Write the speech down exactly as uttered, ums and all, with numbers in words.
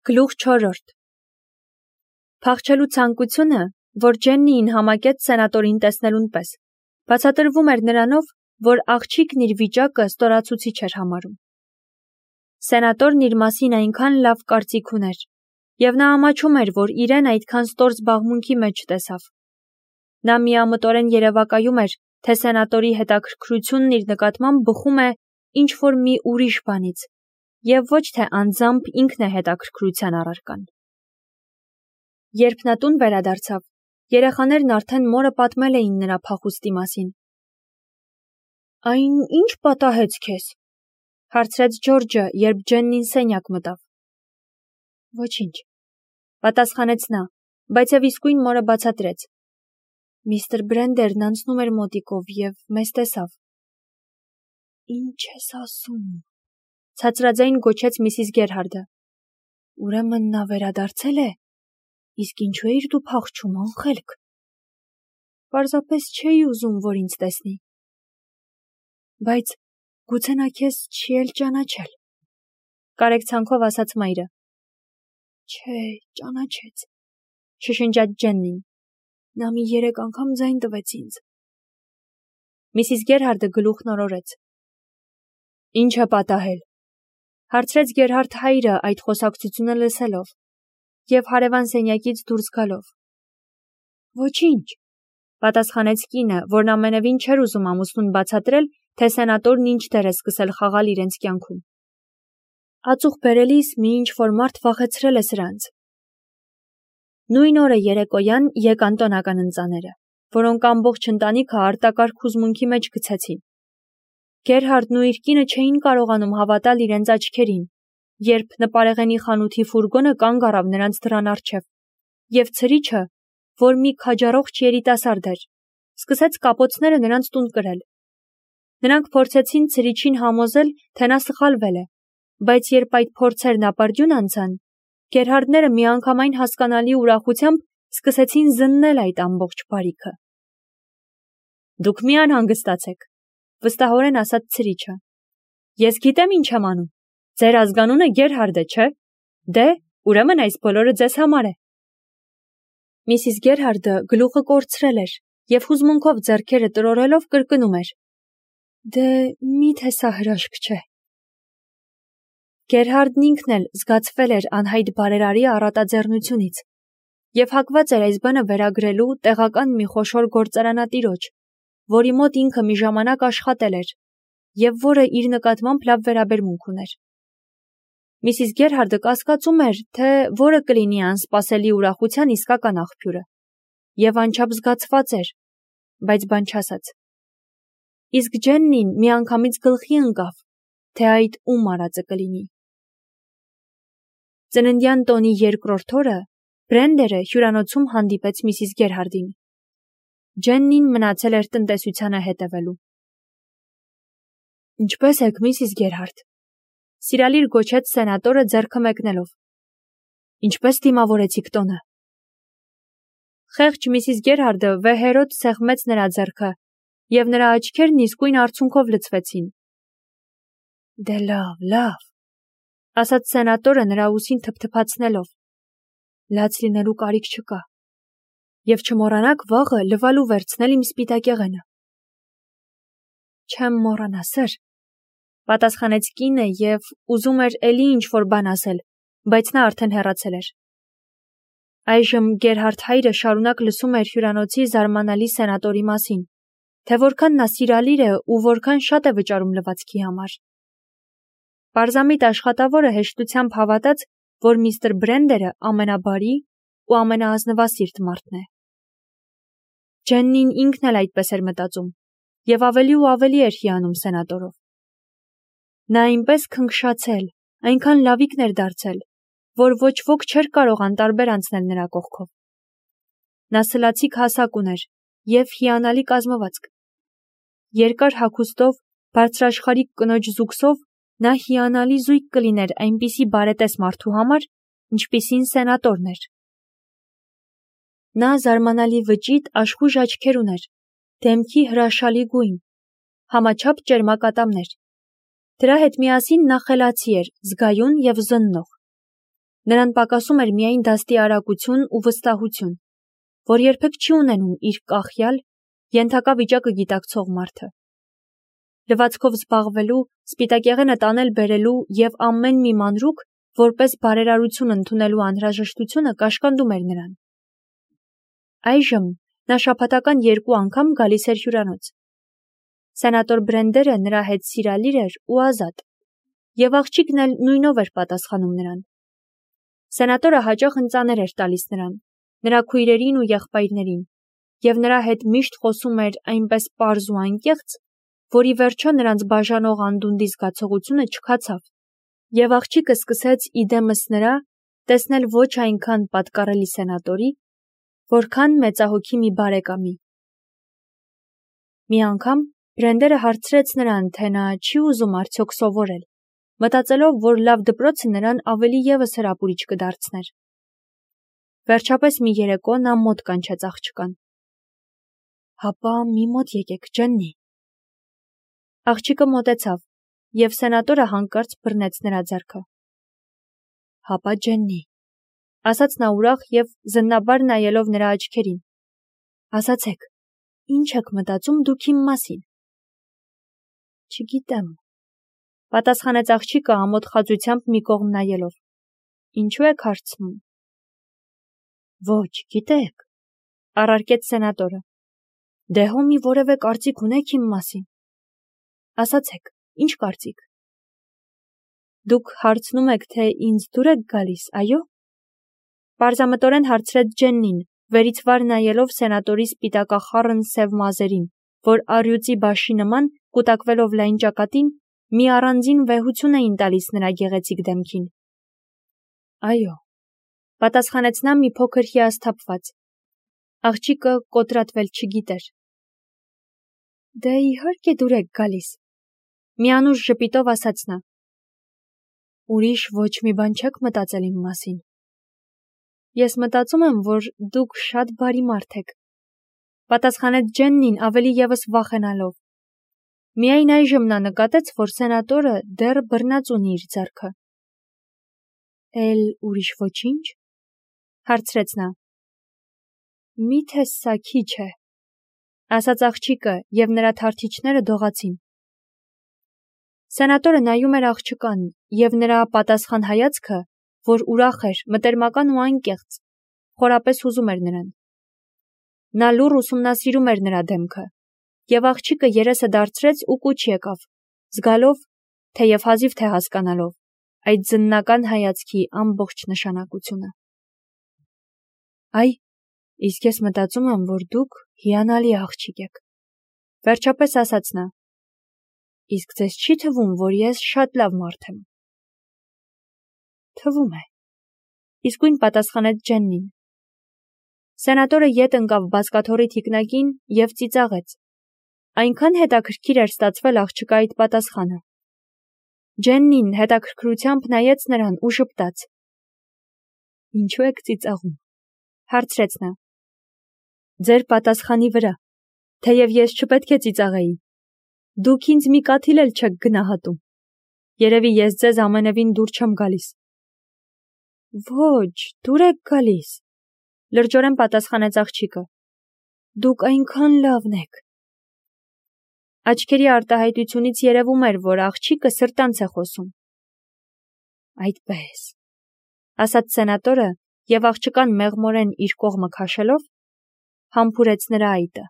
Գլուխ չորրորդ Փախչելու ցանկությունը, որ Ջեննիին համակեց սենատորին տեսնելուն պես, բացատրվում էր նրանով, որ աղջիկն իր վիճակը ստորացուցիչ էր համարում։ Սենատորն իր մասին այնքան լավ կարծիք ուներ, և նա ամաչում էր, որ իրեն այդքան ստոր զբաղմունքի մեջ տեսավ։ Նա միամտորեն երևակայում էր, թե սենատորի հետաքրքրությունն իր նկատմամբ բխում է ինչ-որ մի ուրիշ բանից, և ոչ թե անձամբ ինքն է հետաքրքրության առարկան։ Երբ նա տուն վերադարձավ, երեխաներն արդեն մորը պատմել էին նրա փախուստի մասին։ «Այն ի՞նչ պատահեց քեզ», հարցրեց Ջորջը, երբ Ջեննին սենյակ մտավ։ «Ոչինչ», պատասխանեց նա, բայց և իսկույն մորը բացատրեց. «Միստր Բրենդերն անցնում էր մոտիկով և մեզ տեսավ»։ «Ի՞նչ ես ասում», ցածրաձայն գոչեց Միսիս Գերհարդը։ «Ուրեմն նա վերադարձել է, իսկ ինչու էիր դու փախչում, անխելք»։ «Պարզապես չէի ուզում, որ ինձ տեսնի»։ «Բայց գուցե նա քեզ չի էլ ճանաչել», կարեկցանքով ասաց մայրը։ «Չէ, ճանաչեց», շշնջաց Ջեննին։ «Նա մի երեք անգամ ձայն տվեց ինձ»։ Միսիս Գերհարդը գլուխն օրորեց։ «Ի՞նչ է պատահել», հարցրեց Գերհարդ հայրը այդ խոսակցությունը լսելով և հարևան սենյակից դուրս գալով։ «Ոչինչ», պատասխանեց կինը, որն ամենևին չէր ուզում ամուսնուն բացատրել, թե սենատորն ինչ դեր է սկսել խաղալ իրենց կյանքում։ Ածուխ բերելիս մի ինչ-որ մարդ վախեցրել է սրանց։ Նույն օրը երեկոյան եկան տոնական ընծաները, որոնք ամբողջ ընտանիքը արտակարգ հուզմունքի մեջ գցեցին։ Գերհարդն ու իր կինը չէին կարողանում հավատալ իրենց աչքերին, երբ նպարեղենի խանութի ֆուրգոնը կանգ առավ նրանց դռան առջև, և ցրիչը, որ մի քաջառողջ երիտասարդ էր, սկսեց կապոցները նրանց տուն կրել։ Նրանք փորձեցին ցրիչին համոզել, թե նա սխալվել է, բայց երբ այդ փորձերն ապարդյուն անցան, Գերհարդները միանգամայն հասկանալի ուրախությամբ սկսեցին զննել այդ ամբողջ բարիքը։ «Դուք մի անհանգստացեք», վստահորեն ասաց ցրիչը։ «Ես գիտեմ ինչ եմ անում։ Ձեր ազգանունը Գերհարդ է, չէ՞։ Դե, ուրեմն այս բոլորը ձեզ համար է»։ Միսիս Գերհարդը գլուխը կորցրել էր և հուզմունքով ձեռքերը տրորելով կրկնում էր. «Դե, մի՞թե սա հրաշք չէ»։ Գերհարդն ինքն էլ զգացվել էր անհայտ բարերարի առատաձեռնությունից և հակված էր այս բանը վերագրելու տեղական մի խոշոր գործարանատիրոջ, որի մոտ ինքը մի ժամանակ աշխատել էր և որը իր նկատմամբ լավ վերաբերմունք ուներ։ Միսիս Գերհարդը կասկածում էր, թե որը կլինի անսպասելի ուրախության իսկական աղբյուրը, և անչափ զգացված էր, բայց բան չասաց։ Իսկ Ջեննին միանգամից գլխի ընկավ, թե այդ ում արածը կլինի։ Ծննդյան տոնի երկրորդ օրը Բրենդերը հյուրանոցում հանդիպեց Միսիս Գերհարդին։ Ջեննին մնացել էր տնտեսությանը հետևելու։ «Ինչպե՞ս եք, Միսիս Գերհարդ», սիրալիր գոչեց սենատորը ձեռքը մեկնելով։ «Ինչպե՞ս դիմավորեցիք տոնը»։ Խեղճ Միսիս Գերհարդը վեհերոտ սեղմեց նրա ձեռքը, և նրա աչքերն իսկույն արցունքով լցվեցին։ «Դե լավ, լավ», ասաց սենատորը նրա ուսին թփթփացնելով։ «Լաց լինելու կարիք չկա։ Եվ չմոռանաք վաղը լվալու վերցնել իմ սպիտակեղենը»։ «Չեմ մոռանա, սըր», պատասխանեց կինը և ուզում էր էլի ինչ-որ բան ասել, բայց նա արդեն հեռացել էր։ Այժմ Գերհարդ հայրը շարունակ լսում էր հյուրանոցի զարմանալի սենատորի մասին, թե որքան նա սիրալիր է ու որքան շատ է վճարում լվացքի համար։ Պարզամիտ աշխատավորը հեշտությամբ հավատաց, որ միստր Բրենդերը ամենաբարի ու ամենաազնվասիրտ մարդն է։ Ջեննին ինքն էլ այդպես էր մտածում և ավելի ու ավելի էր հիանում սենատորով։ Նա այնպես քնքշացել, այնքան լավիկն էր դարձել, որ ոչ ոք չէր կարող անտարբեր անցնել նրա կողքով։ Նա սլացիկ հասակ ուներ և հիանալի կազմվածք։ Երկար հագուստով, բարձրաշխարհիկ կնոջ զուգսով նա հիանալի զույգ կլիներ այնպիսի բարետես մարդու համար, ինչպիսին սենատորն էր։ Նա զարմանալի վճիտ աշխույժ աչքեր ուներ, դեմքի հրաշալի գույն, համաչափ ճերմակատամներ։ Դրա հետ միասին նա խելացի էր, զգայուն և զննող։ Նրան պակասում էր միայն դաստի արագություն ու վստահություն, որ երբեք չի ունենում իր կախյալ, ենթակա վիճակը գիտակցող մարդը։ Լվացքով զբաղվելու, սպիտակեղենը տանել բերելու և ամեն մի մանրուք, որպես բարերարություն ընդունելու անհրաժեշտությունը կաշկանդում էր նրան։ Այժմ նա շաբաթական երկու անգամ գալիս էր հյուրանոց։ Սենատոր Բրենդերը նրա հետ սիրալիր էր ու ազատ, և աղջիկն էլ նույնով էր պատասխանում նրան։ Սենատորը հաճախ ընծաներ էր տալիս նրան, նրա քույրերին ու եղբայրներին, և նրա հետ միշտ խոսում էր այնպես պարզ ու անկեղծ, որ ի վերջո նրանց բաժանող անդունդի զգացողությունը չքացավ, և աղջիկը սկսեց իդեմս նրա տեսնել ոչ այնքան պատկառելի սենատորի, որքան մեծահոգի մի բարեկամի։ Մի անգամ Բրենդերը հարցրեց նրան, թե նա չի ուզում արդյոք սովորել, մտածելով, որ լավ դպրոցը նրան ավելի ևս հրապուրիչ կդարձներ։ Վերջապես մի երեկո նա մոտ կանչեց աղջկան։ Հապա մի մոտ եկեք, Ջեննի։ Աղջիկը մոտեցավ, և սենատորը հանկարծ բռնեց նրա ձեռքը։ Հապա Ջեննի, ասաց նա ուրախ և զննաբար նայելով նրա աչքերին։ Ասացեք, ինչ եք մտածում դուք իմ մասին։ Չգիտեմ, պատասխանեց աղջիկը ամոթ խածությամբ մի կողմ նայելով։ Ինչու եք հարցնում։ Ոչ, գիտեք, առարկեց սենատորը։ Դե հո մի որևէ կարծիք ունեք իմ մասին։ Ասացեք, ինչ կարծիք։ Դուք հարցնում եք, թե ինձ դուր եք գալիս, այո։ Պարզամտորեն հարցրեց Ջեննին, վերից վար նայելով սենատորի սպիտակախառն սև մազերին, որ առյուծի բաշի նման, կուտակվելով լայն ճակատին, մի առանձին վեհություն էին տալիս նրա գեղեցիկ դեմքին։ Այո, պատասխանեց նա մի փոքր հիասթափված։ Աղջիկը կոտրատվել չգիտեր։ Դե իհարկե դուր եք գալիս, միանուշ ժպիտով ասաց նա։ Ուրիշ ոչ մի բան չեք մտածել իմ մասին։ Ես մտածում եմ, որ դուք շատ բարի մարդ եք, պատասխանեց Ջեննին ավելի ևս վախենալով։ Միայն այժմ նա նկատեց, որ սենատորը դեռ բռնած ունի իր ձեռքը։ Էլ ուրիշ ոչինչ, հարցրեց նա։ Միթե սա քիչ է, ասաց աղջիկը, և նրա թարթիչները դողացին։ Սենատորը նայում էր աղջկան, և նրա պատասխան հայացքը, որ ուրախ էր, մտերմական ու անկեղծ, խորապես հուզում էր նրան։ Նա լուռ ուսումնասիրում էր նրա դեմքը, և աղջիկը երեսը դարձրեց ու կուչ եկավ, զգալով, թեև հազիվ թե հասկանալով, այդ զննական հայացքի ամբողջ նշանակությունը։ Այ, իսկ ես մտածում եմ, որ դուք հիանալի աղջիկ եք, վերջապես ասաց նա։ Իսկ ձեզ չի թվում, որ ես շատ լավ մարդ եմ։ Թվում է, իսկույն պատասխանեց Ջեննին։ Սենատորը ետ ընկավ բազկաթոռի թիկնակին և ծիծաղեց։ Այնքան հետաքրքիր էր ստացվել աղջկա այդ պատասխանը։ Ջեննին հետաքրքրությամբ նայեց նրան ու ժպտաց։ Ինչու եք ծիծաղում, հարցրեց նա։ Ձեր պատասխանի վրա, թեև ես չպետք է ծիծաղեի։ Դուք ինձ մի կաթիլ էլ չեք գնահատում։ Երևի ես ձեզ ամենևին դուր չեմ գալիս։ Ոչ, դուր եք գալիս, լրջորեն պատասխանեց աղջիկը։ Դուք այնքան լավն եք։ Աչքերի արտահայտությունից երևում էր, որ աղջիկը սրտանց է խոսում։ Այդպես, ասաց սենատորը, և աղջկան մեղմորեն իր կողմը քաշելով, համբուրեց նրա այտը։